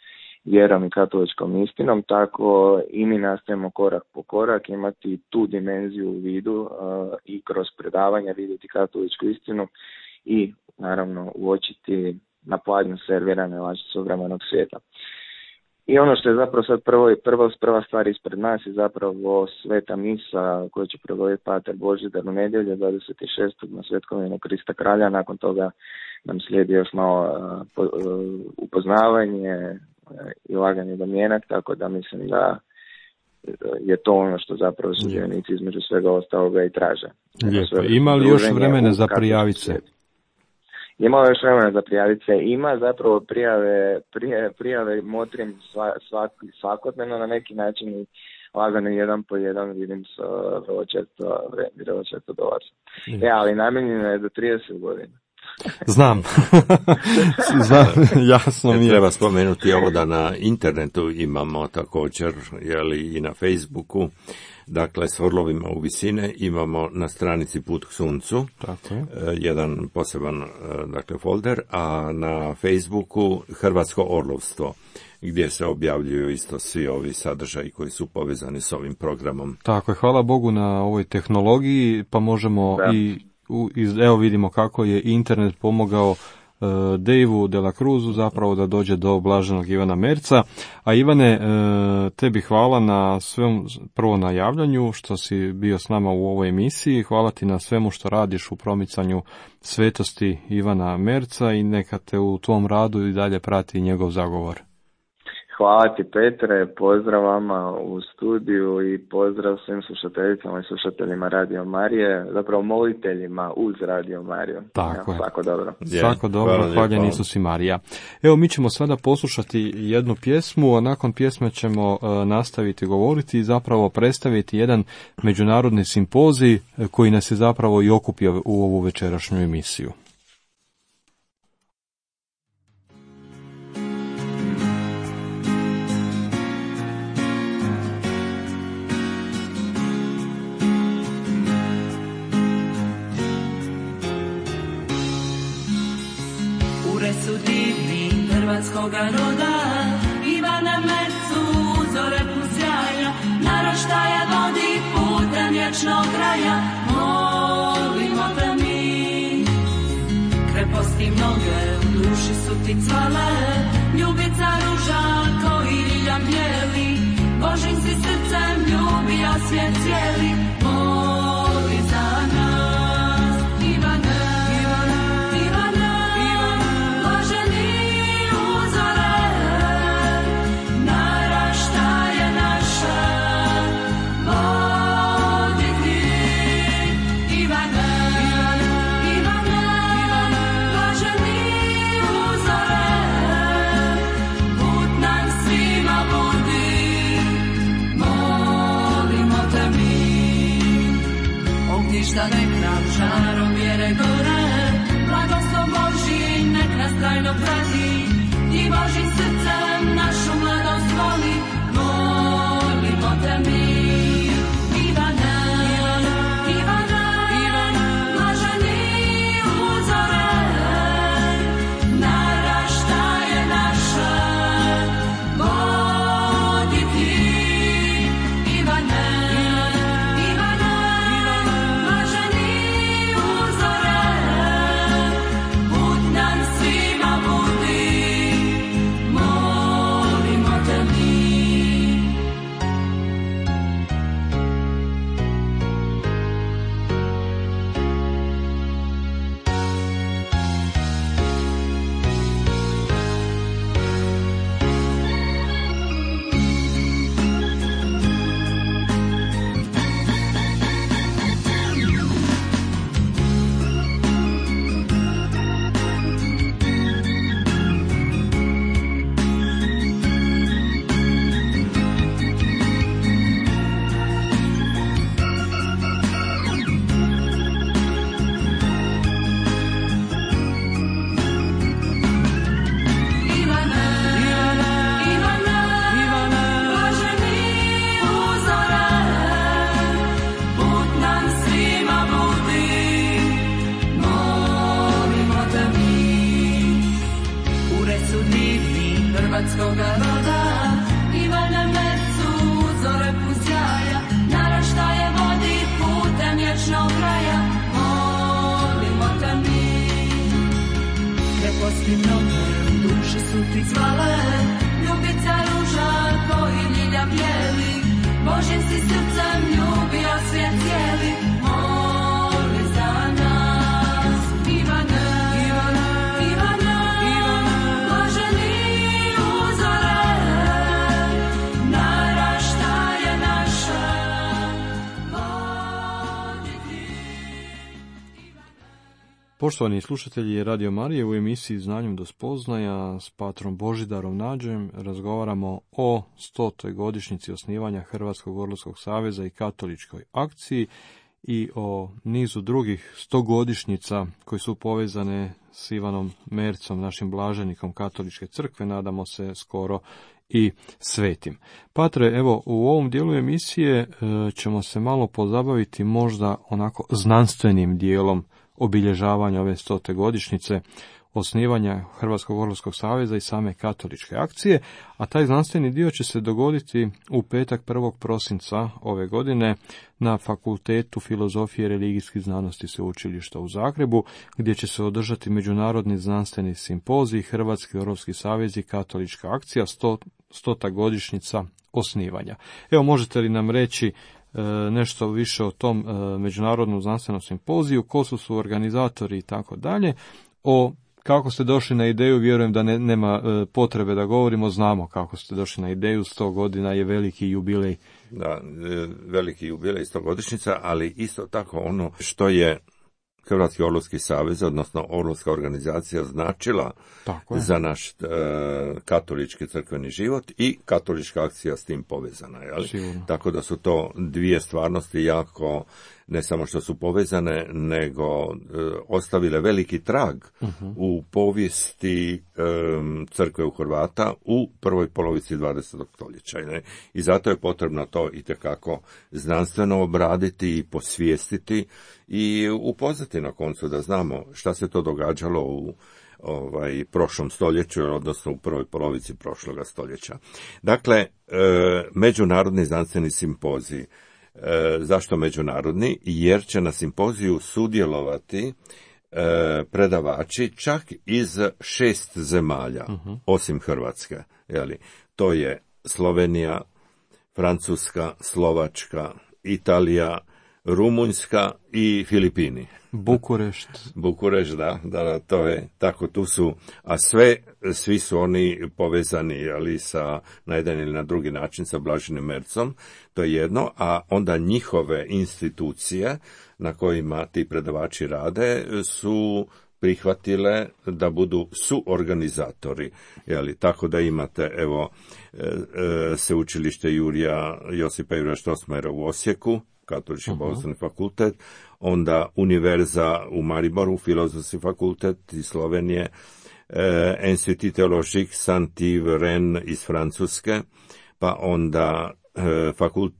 vjerom i katoličkom istinom, tako i mi nastojimo korak po korak imati tu dimenziju u vidu uh, i kroz predavanja vidjeti katoličku istinu i naravno uočiti na pladnju servirane laži suvremenog svijeta. I ono što je zapravo sad prvo, prvo, prva stvar ispred nas je zapravo sveta misa koju će prevoditi pater Božidar u nedjelju dvadeset šestog na Svetkovinu Krista Kralja. Nakon toga nam slijedi još malo uh, po, uh, upoznavanje uh, i laganje domjenak, tako da mislim da je to ono što zapravo sudionici između svega ostaloga i traže. Lijepo. Ima li još vremena za prijaviti se? Ima još vremena za prijaviti se. Ima zapravo prijave, prijave, prijave motrim svak, svakodnevno na neki način i lagano jedan po jedan vidim sa vrlo često, vrlo često dolazi. E, ali namijenjeno je do trideset godina. Znam. Znam, jasno mi je. Treba spomenuti ovo da na internetu imamo također, jeli, i na Facebooku, dakle s orlovima u visine imamo na stranici Put k suncu, tako je, jedan poseban, dakle, folder, a na Facebooku Hrvatsko orlovstvo, gdje se objavljuju isto svi ovi sadržaji koji su povezani s ovim programom. Tako je, hvala Bogu na ovoj tehnologiji, pa možemo da. i U, evo vidimo kako je internet pomogao uh, Daveu de la Cruzu zapravo da dođe do Blaženog Ivana Merca. A Ivane, uh, tebi hvala na svemu, prvo na javljanju što si bio s nama u ovoj emisiji, hvala ti na svemu što radiš u promicanju svetosti Ivana Merca i neka te u tvom radu i dalje prati njegov zagovor. Hvala ti Petre, pozdrav vama u studiju i pozdrav svim slušateljicama i slušateljima Radio Marije, zapravo moliteljima uz Radio Mariju. Tako je. Svako dobro. Svako dobro, hvaljen Isus i Marija. Evo, mi ćemo sada poslušati jednu pjesmu, a nakon pjesme ćemo uh, nastaviti govoriti i zapravo predstaviti jedan međunarodni simpozij koji nas je zapravo i okupio u ovu večerašnju emisiju. Su divni hrvatskoga roda, Ivana Mercu, uzore pusjaja, naraštaja vodi putem vječnog kraja. Molimo te mi, kreposti mnoge, u duši su ti cvale, ljubica ruža koji ljiljam bijeli, Božim si srcem ljubio svijet cijeli. Moli za nas, Ivana. Ništa nek nam žarom vjere gore, blagoslov Božji nek nas trajno prati, ti Božim srcem našu mladost voli, molimo te mi. Ivana, Ivana, Božim si srcem ljubio svijet cijeli, moli za nas. Ivane, Ivane, Ivane, Ivane, blaženi uzore, naraštaje naše, vodi ti. Poštovani slušatelji Radio Marije, u emisiji Znanjem do spoznaja s patrom Božidarom Nađem razgovaramo o stotoj godišnjici osnivanja Hrvatskog orlovskog saveza i katoličkoj akciji i o nizu drugih stogodišnjica koji su povezane s Ivanom Mercom, našim blaženikom katoličke crkve, nadamo se skoro i svetim. Patre, evo, u ovom dijelu emisije e, ćemo se malo pozabaviti možda onako znanstvenim dijelom obilježavanja ove stote godišnjice osnivanja Hrvatskog orlovskog saveza i same katoličke akcije, a taj znanstveni dio će se dogoditi u petak prvog prosinca ove godine na Fakultetu filozofije i religijskih znanosti Sveučilišta u Zagrebu, gdje će se održati međunarodni znanstveni simpozij Hrvatski orlovski savez i katolička akcija, sto, stota godišnjica osnivanja. Evo, možete li nam reći nešto više o tom međunarodnom znanstvenom simpoziju, ko su su organizatori i tako dalje, o kako ste došli na ideju, vjerujem da ne, nema potrebe da govorimo, znamo kako ste došli na ideju, sto godina je veliki jubilej. Da, veliki jubilej, stogodišnjica, ali isto tako ono što je Hrvatski orlovski savez, odnosno orlovska organizacija, značila za naš e, katolički crkveni život i katolička akcija s tim povezana. Jel? Tako da su to dvije stvarnosti jako, ne samo što su povezane, nego e, ostavile veliki trag uh-huh. u povijesti e, crkve u Hrvata u prvoj polovici dvadesetog stoljeća. Ne? I zato je potrebno to itekako znanstveno obraditi i posvijestiti i upoznati na koncu da znamo šta se to događalo u ovaj prošlom stoljeću, odnosno u prvoj polovici prošloga stoljeća. Dakle, e, međunarodni znanstveni simpozij. E, zašto međunarodni? Jer će na simpoziju sudjelovati e, predavači čak iz šest zemalja, uh-huh. osim Hrvatske. Jeli? To je Slovenija, Francuska, Slovačka, Italija, Rumunjska i Filipini. Bukurešt. Bukurešt, da, da, da, to je tako, tu su, a sve, svi su oni povezani, ali sa, na jedan ili na drugi način sa Blaženim Mercom, to je jedno, a onda njihove institucije na kojima ti predavači rade su prihvatile da budu suorganizatori, jeli, tako da imate, evo, e, e, sveučilište Jurija Josipa Jurija Strossmayera u Osijeku, Katolički uh-huh. bogoslovni fakultet, onda Univerza u Mariboru, Filozofski fakultet iz Slovenije, eh, Institut Theologique Saint-Yves Rennes iz Francuske, pa onda eh, fakult,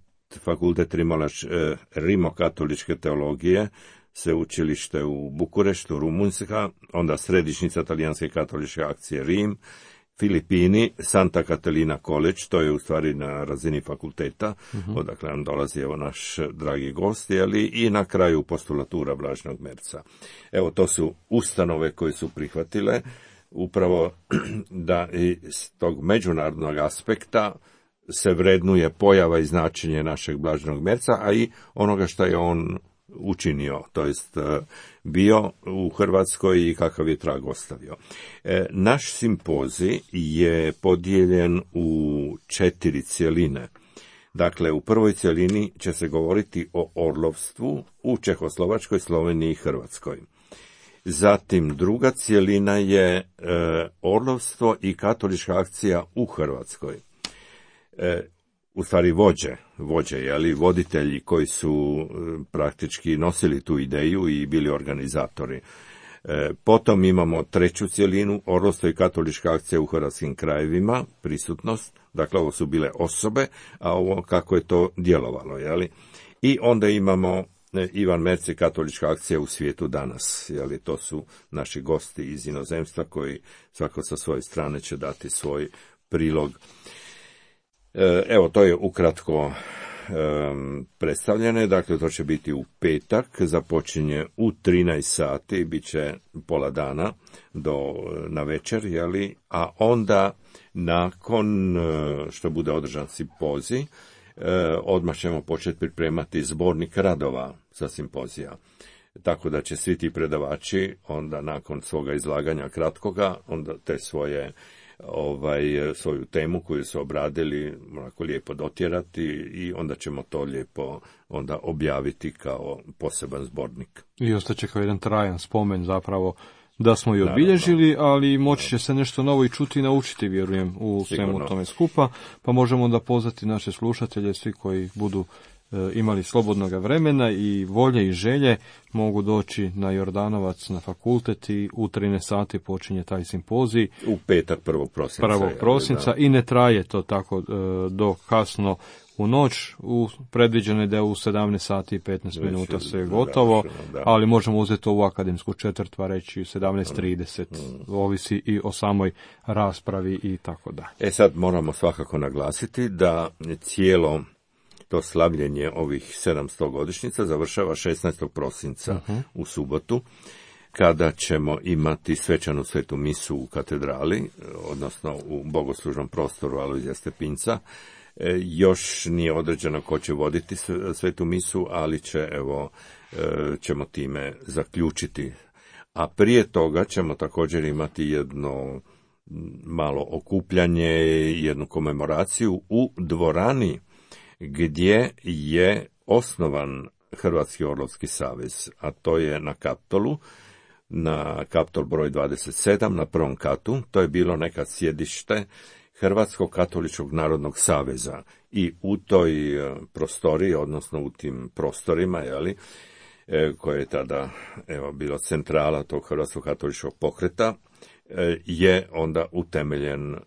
fakultet Rimolaš, eh, rimokatoličke teologije, sveučilište u Bukureštu, Rumunjska, onda središnjica talijanske katoličke akcije Rim, Filipini, Santa Catalina College, to je u stvari na razini fakulteta, uh-huh. odakle nam dolazi evo naš dragi gost, jeli, i na kraju postulatura Blaženog Merca. Evo, to su ustanove koje su prihvatile upravo da iz tog međunarodnog aspekta se vrednuje pojava i značenje našeg Blaženog Merca, a i onoga što je on učinio, to jest bio u Hrvatskoj i kakav je trag ostavio. E, naš simpozij je podijeljen u četiri cjeline. Dakle, u prvoj cjelini će se govoriti o orlovstvu u Čehoslovačkoj, Sloveniji i Hrvatskoj. Zatim druga cjelina je e, orlovstvo i katolička akcija u Hrvatskoj. E, u stvari vođe, vođe, jeli, voditelji koji su e, praktički nosili tu ideju i bili organizatori. E, potom imamo treću cjelinu, orlovstvo i katolička akcija u hrvatskim krajevima, prisutnost, dakle ovo su bile osobe, a ovo kako je to djelovalo, jeli. I onda imamo e, Ivan Merc i katolička akcija u svijetu danas, jeli, to su naši gosti iz inozemstva koji svako sa svoje strane će dati svoj prilog. Evo, to je ukratko um, predstavljene, dakle to će biti u petak, započinje u trinaest sati, bit će pola dana do na večer, jeli, a onda nakon što bude održan simpozij, odmah ćemo početi pripremati zbornik radova sa simpozija. Tako da će svi ti predavači onda nakon svoga izlaganja kratkoga, onda te svoje ovaj, svoju temu koju su obradili onako lijepo dotjerati i onda ćemo to lijepo onda objaviti kao poseban zbornik. I ostaće kao jedan trajan spomen zapravo da smo i obilježili, ali moći će se nešto novo i čuti i naučiti, vjerujem, u svemu tome skupa, pa možemo onda pozvati naše slušatelje, svi koji budu e, imali slobodnog vremena i volje i želje, mogu doći na Jordanovac na fakultet i u trinaest sati počinje taj simpozij. U petak prvog prosinca. Prvog prosinca i ne traje to tako e, do kasno u noć, u predviđeno je da je u sedamnaest sati i petnaest minuta sve gotovo, da. Ali možemo uzeti ovu akademsku četvrt, pa reći sedamnaest trideset, mm. ovisi i o samoj raspravi i tako da. E sad moramo svakako naglasiti da cijelo to slavljenje ovih sedamsto godišnjica završava šesnaestog prosinca uh-huh. u subotu, kada ćemo imati svečanu svetu misu u katedrali, odnosno u bogoslužnom prostoru Alojzija Stepinca. E, još nije određeno ko će voditi svetu misu, ali će, evo, e, ćemo time zaključiti. A prije toga ćemo također imati jedno malo okupljanje, jednu komemoraciju u dvorani gdje je osnovan Hrvatski orlovski savez, a to je na Kaptolu, na Kaptol broj dvadeset sedam, na prvom katu. To je bilo nekad sjedište Hrvatskog katoličkog narodnog saveza i u toj prostoriji, odnosno u tim prostorima, jeli, koje je tada evo, bila centrala tog Hrvatskog katoličkog pokreta, je onda utemeljen e,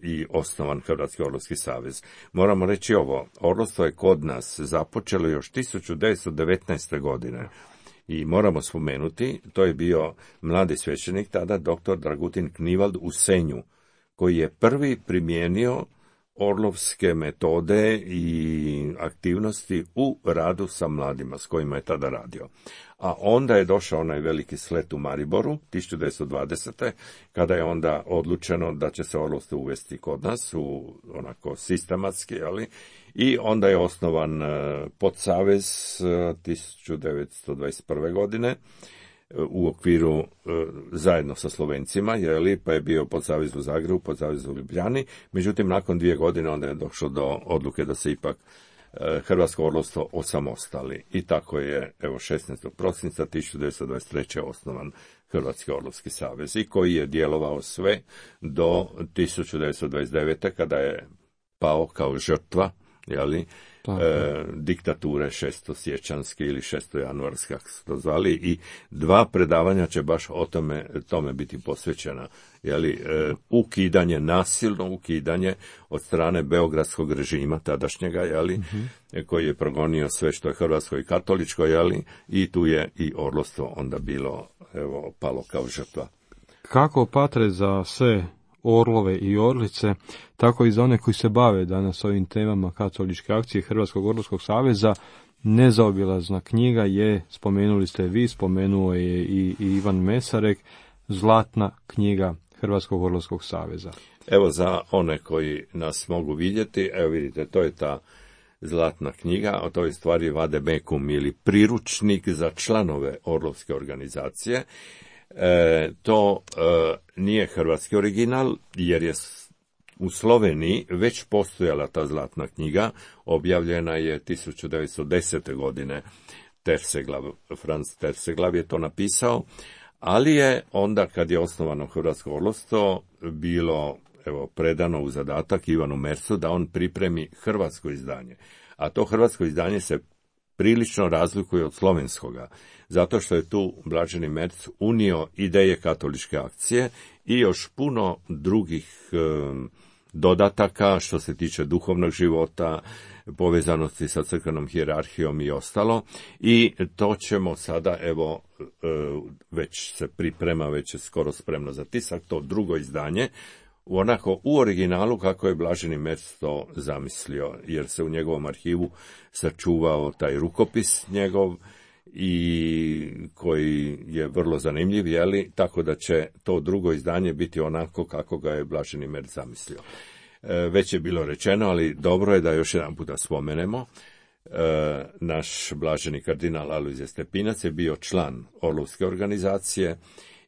i osnovan Hrvatski orlovski savez. Moramo reći ovo, orlovstvo je kod nas započelo još tisuću devetsto devetnaeste. godine. I moramo spomenuti, to je bio mladi svećenik, tada doktor Dragutin Knivald u Senju, koji je prvi primijenio orlovske metode i aktivnosti u radu sa mladima s kojima je tada radio. A onda je došao onaj veliki slet u Mariboru, tisuću devetsto dvadesete. kada je onda odlučeno da će se orlovstvo uvesti kod nas, u onako sistematski, ali i onda je osnovan podsavez tisuću devetsto dvadeset prve. godine, u okviru zajedno sa Slovencima, jeli, pa je bio podsavez u Zagrebu, podsavez u Ljubljani. Međutim, nakon dvije godine onda je došlo do odluke da se ipak Hrvatsko orlovstvo osamostali. I tako je, evo, šesnaestog prosinca tisuću devetsto dvadeset treće. osnovan Hrvatski orlovski savez i koji je djelovao sve do tisuću devetsto dvadeset devete. kada je pao kao žrtva, jeli, E, diktature šestosiječanske ili šestojanuarske, kako su to zvali, i dva predavanja će baš o tome, tome biti posvećena. Jeli, e, ukidanje, nasilno ukidanje od strane beogradskog režima tadašnjega, jeli, mm-hmm. koji je progonio sve što je hrvatsko i katoličko, jeli, i tu je i orlovstvo onda bilo, evo, palo kao žrtva. Kako patre za sve orlove i orlice, tako i za one koji se bave danas ovim temama katoličke akcije Hrvatskog orlovskog saveza, nezaobilazna knjiga je, spomenuli ste vi, spomenuo je i, i Ivan Mesarek, Zlatna knjiga Hrvatskog orlovskog saveza. Evo, za one koji nas mogu vidjeti, evo vidite, to je ta Zlatna knjiga, a to je stvari Vade Mecum ili priručnik za članove orlovske organizacije. E, to e, nije hrvatski original, jer je u Sloveniji već postojala ta Zlatna knjiga, objavljena je tisuću devetsto desete. godine, Terseglav, Franz Terseglav je to napisao, ali je onda, kad je osnovano Hrvatsko orlovstvo, bilo, evo, predano u zadatak Ivanu Mercu da on pripremi hrvatsko izdanje. A to hrvatsko izdanje se prilično razlikuje od slovenskoga, zato što je tu Blaženi Merc unio ideje katoličke akcije i još puno drugih e, dodataka što se tiče duhovnog života, povezanosti sa crkvenom hijerarhijom i ostalo. I to ćemo sada, evo, e, već se priprema, već je skoro spremno za tisak, to drugo izdanje, onako u originalu kako je Blaženi Merc to zamislio, jer se u njegovom arhivu sačuvao taj rukopis njegov i koji je vrlo zanimljiv, jeli, tako da će to drugo izdanje biti onako kako ga je Blaženi Merc zamislio. Već je bilo rečeno, ali dobro je da još jedan puta spomenemo. Naš blaženi kardinal Alojzije Stepinac je bio član Orlovske organizacije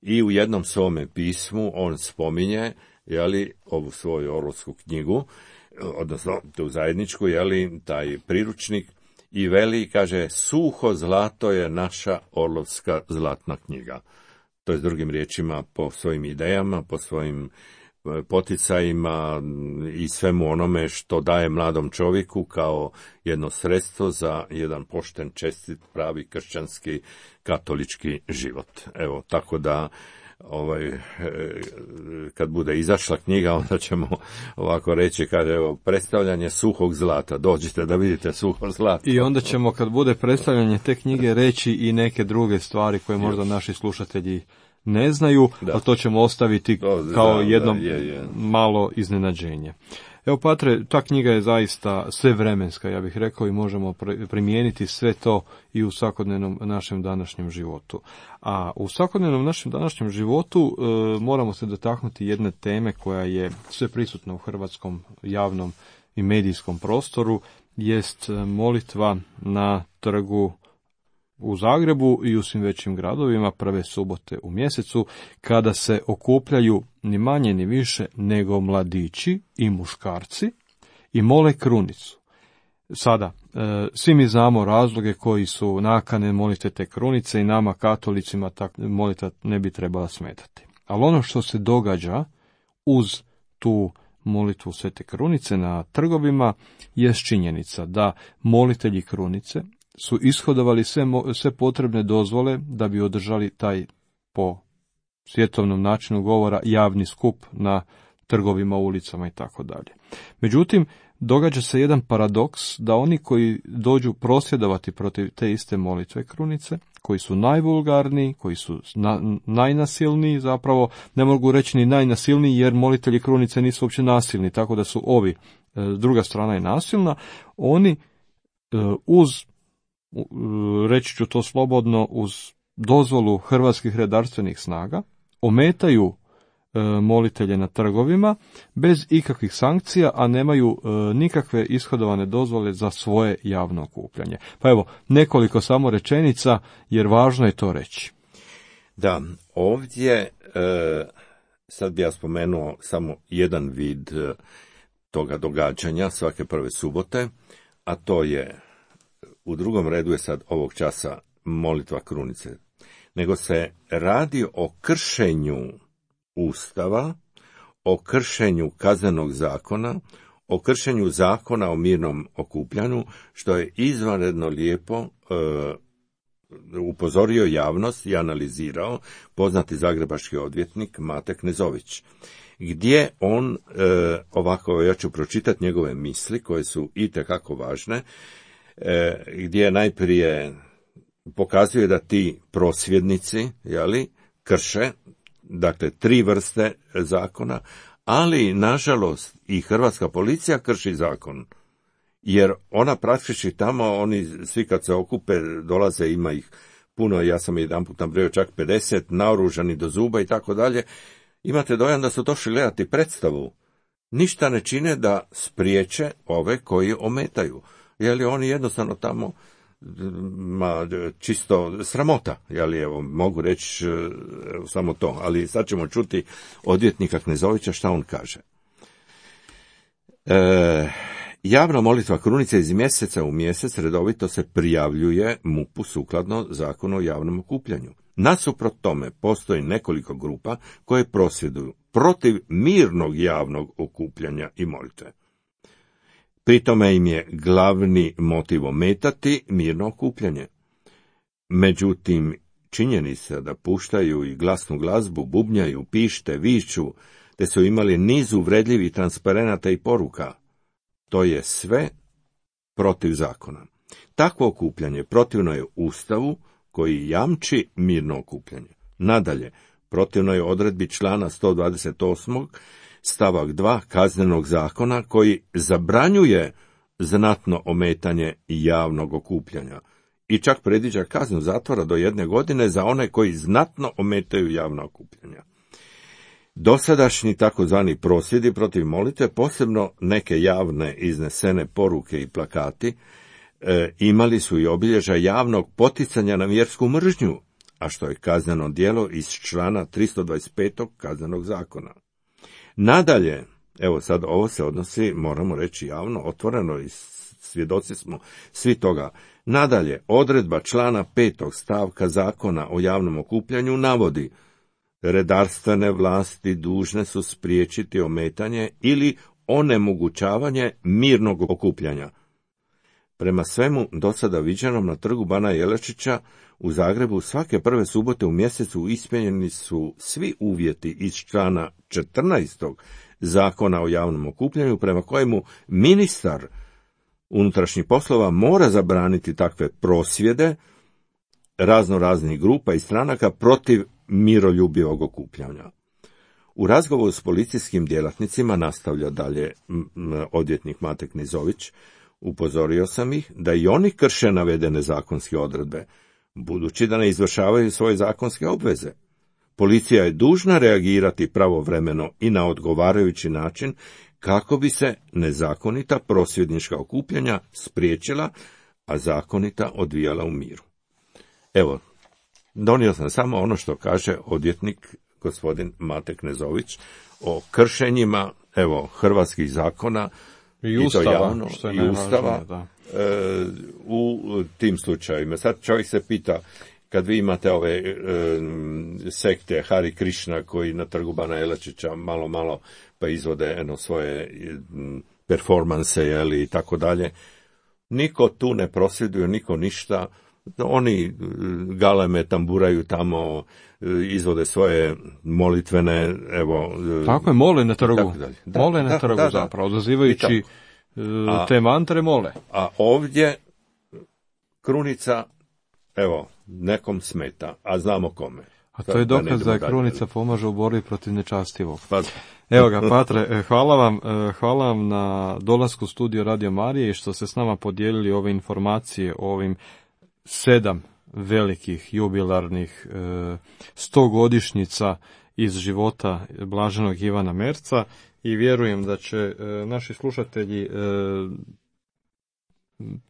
i u jednom svome pismu on spominje, jeli, ovu svoju Orlovsku knjigu, odnosno tu zajedničku, jeli, taj priručnik, i veli, kaže, suho zlato je naša Orlovska zlatna knjiga. To je s drugim riječima po svojim idejama, po svojim poticajima i svemu onome što daje mladom čovjeku kao jedno sredstvo za jedan pošten, čestit, pravi kršćanski, katolički život. Evo, tako da ovaj, kad bude izašla knjiga, onda ćemo ovako reći, kaže, evo, predstavljanje suhog zlata, dođite da vidite suho zlato. I onda ćemo, kad bude predstavljanje te knjige, reći i neke druge stvari koje možda naši slušatelji ne znaju, da. A to ćemo ostaviti to, kao da, jedno da, je, je. malo iznenađenje. Evo, Patre, ta knjiga je zaista svevremenska, ja bih rekao, i možemo primijeniti sve to i u svakodnevnom našem današnjem životu. A u svakodnevnom našem današnjem životu e, moramo se dotaknuti jedne teme koja je sve prisutna u hrvatskom javnom i medijskom prostoru, jest molitva na trgu u Zagrebu i u svim većim gradovima prve subote u mjesecu, kada se okupljaju ni manje ni više nego mladići i muškarci i mole krunicu. Sada, e, svi mi znamo razloge koji su nakane molite te krunice i nama katolicima ta molitva ne bi trebala smetati. Ali ono što se događa uz tu molitvu Svete krunice na trgovima je činjenica da molitelji krunice su ishodovali sve, sve potrebne dozvole da bi održali taj, po svjetovnom načinu govora, javni skup na trgovima, ulicama i tako dalje. Međutim, događa se jedan paradoks da oni koji dođu prosvjedovati protiv te iste molitve krunice, koji su najvulgarniji, koji su na, najnasilniji, zapravo ne mogu reći ni najnasilniji, jer molitelji krunice nisu uopće nasilni, tako da su ovi, druga strana je nasilna, oni uz, reći ću to slobodno, uz dozvolu hrvatskih redarstvenih snaga, ometaju molitelje na trgovima bez ikakvih sankcija, a nemaju e, nikakve ishodovane dozvole za svoje javno okupljanje. Pa evo, nekoliko samo rečenica, jer važno je to reći. Da, ovdje, e, sad bi ja spomenuo samo jedan vid e, toga događanja svake prve subote, a to je, u drugom redu je sad ovog časa molitva krunice, nego se radi o kršenju Ustava, o kršenju kaznenog zakona, o kršenju zakona o mirnom okupljanju, što je izvanredno lijepo e, upozorio javnost i analizirao poznati zagrebački odvjetnik Mate Knezović, gdje on, e, ovako ja ću pročitati njegove misli koje su itekako važne, e, gdje najprije pokazuje da ti prosvjednici, jeli, krše, dakle, tri vrste zakona, ali, nažalost, i hrvatska policija krši zakon, jer ona praktički tamo, oni svi kad se okupe, dolaze, ima ih puno, ja sam jedan put nabrojao čak pedeset, naoružani do zuba i tako dalje, imate dojam da su došli gledati predstavu. Ništa ne čine da spriječe ove koji ometaju, jer oni jednostavno tamo, ma, čisto sramota, jeli, evo, mogu reći evo, samo to, ali sad ćemo čuti odvjetnika Knezovića šta on kaže. E, javna molitva krunice iz mjeseca u mjesec redovito se prijavljuje M U P-u sukladno zakonu o javnom okupljanju. Nasuprot tome postoji nekoliko grupa koje prosvjeduju protiv mirnog javnog okupljanja i molitve. Pri tome im je glavni motiv ometati mirno okupljanje. Međutim, činjenica da puštaju i glasnu glazbu, bubnjaju, pište, viču, te su imali niz uvredljivih transparenata i poruka, to je sve protiv zakona. Takvo okupljanje protivno je Ustavu koji jamči mirno okupljanje. Nadalje, protivno je odredbi člana sto dvadeset osam stavak dva Kaznenog zakona koji zabranjuje znatno ometanje javnog okupljanja i čak predviđa kaznu zatvora do jedne godine za one koji znatno ometaju javna okupljanja. Dosadašnji takozvani prosvjedi protiv molitve, posebno neke javne iznesene poruke i plakati, e, imali su i obilježja javnog poticanja na vjersku mržnju, a što je kazneno djelo iz člana tristo dvadeset pet. Kaznenog zakona. Nadalje, evo sad ovo se odnosi, moramo reći javno, otvoreno i svjedoci smo svi toga. Nadalje, odredba člana petog stavka Zakona o javnom okupljanju navodi: redarstvene vlasti dužne su spriječiti ometanje ili onemogućavanje mirnog okupljanja. Prema svemu do sada viđenom na trgu Bana Jelačića u Zagrebu svake prve subote u mjesecu ispunjeni su svi uvjeti iz člana četrnaestog Zakona o javnom okupljanju, prema kojemu ministar unutrašnjih poslova mora zabraniti takve prosvjede razno raznih grupa i stranaka protiv miroljubivog okupljanja. U razgovoru s policijskim djelatnicima, nastavlja dalje odvjetnik Mate Knizović, upozorio sam ih da i oni krše navedene zakonske odredbe, budući da ne izvršavaju svoje zakonske obveze. Policija je dužna reagirati pravovremeno i na odgovarajući način kako bi se nezakonita prosvjednička okupljanja spriječila, a zakonita odvijala u miru. Evo, donio sam samo ono što kaže odvjetnik gospodin Mate Knezović o kršenjima, evo, hrvatskih zakona i ustava, i to javno, što je i ustava da. E, u tim slučajevima. Sad čovjek se pita, kad vi imate ove e, sekte Hari Krishna koji na trgu Bana Jelačića malo malo pa izvode eno svoje performanse, jeli, i tako dalje, niko tu ne prosvjeduje, niko ništa. Oni galeme tamburaju tamo, izvode svoje molitvene, evo... Tako je, mole na trgu. Da, mole na da, trgu, da, zapravo, odazivajući a, te mantre mole. A ovdje krunica, evo, nekom smeta, a znamo kome. A to je dokaz da, da krunica pomaže u borbi protiv nečastivog. Pa. Evo ga, Patre, hvala vam, hvala vam na dolasku u studio Radio Marije i što ste s nama podijelili ove informacije o ovim sedam velikih jubilarnih e, stogodišnjica iz života blaženog Ivana Merca i vjerujem da će e, naši slušatelji e,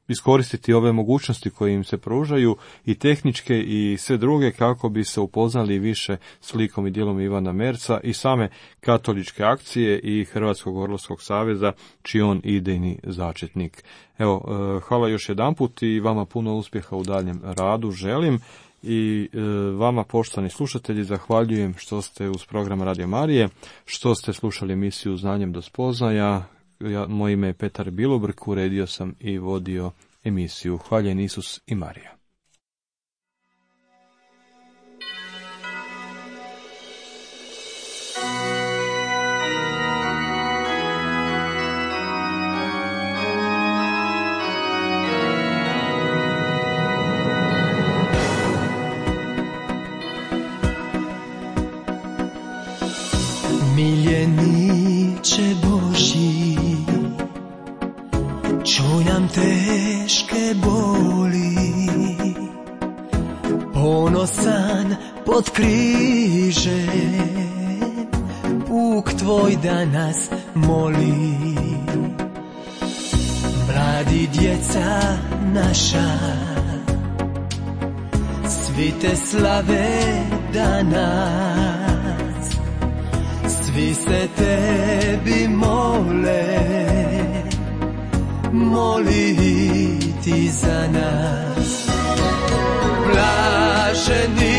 iskoristiti ove mogućnosti koje im se pružaju i tehničke i sve druge kako bi se upoznali više s likom i djelom Ivana Merca i same katoličke akcije i Hrvatskog orlovskog saveza čiji on idejni začetnik. Evo, hvala još jedanput i vama puno uspjeha u daljem radu želim i vama poštovani slušatelji zahvaljujem što ste uz program Radio Marije, što ste slušali emisiju Znanjem do spoznaja. Ja, moje ime je Petar Bilobrk, uredio sam i vodio emisiju. Hvaljen Isus i Marija. Miljeniče Božji, čuj nam teške boli, ponosan pod križe, puk tvoj da nas moli. Mladi djeca naša, svi te slave danas, svi se tebi mole, moli ti za nas. Blaženi